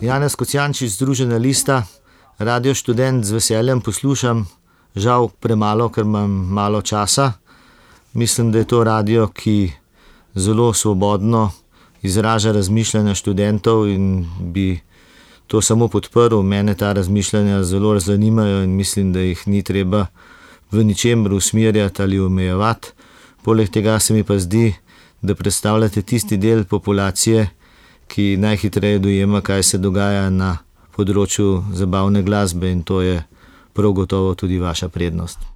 Janez Kocijančič, Združena lista, Radio Študent z veseljem poslušam, žal premalo, ker imam malo časa. Mislim, da je to radio, ki zelo svobodno izraža razmišljanja študentov in bi to samo podprl. Mene ta razmišljanja zelo zanimajo in mislim, da jih ni treba v ničemer usmerjati ali omejevati. Poleg tega se mi pa zdi, da predstavljate tisti del populacije, ki najhitreje dojema, kaj se dogaja na področju zabavne glasbe, in to je prav gotovo tudi vaša prednost.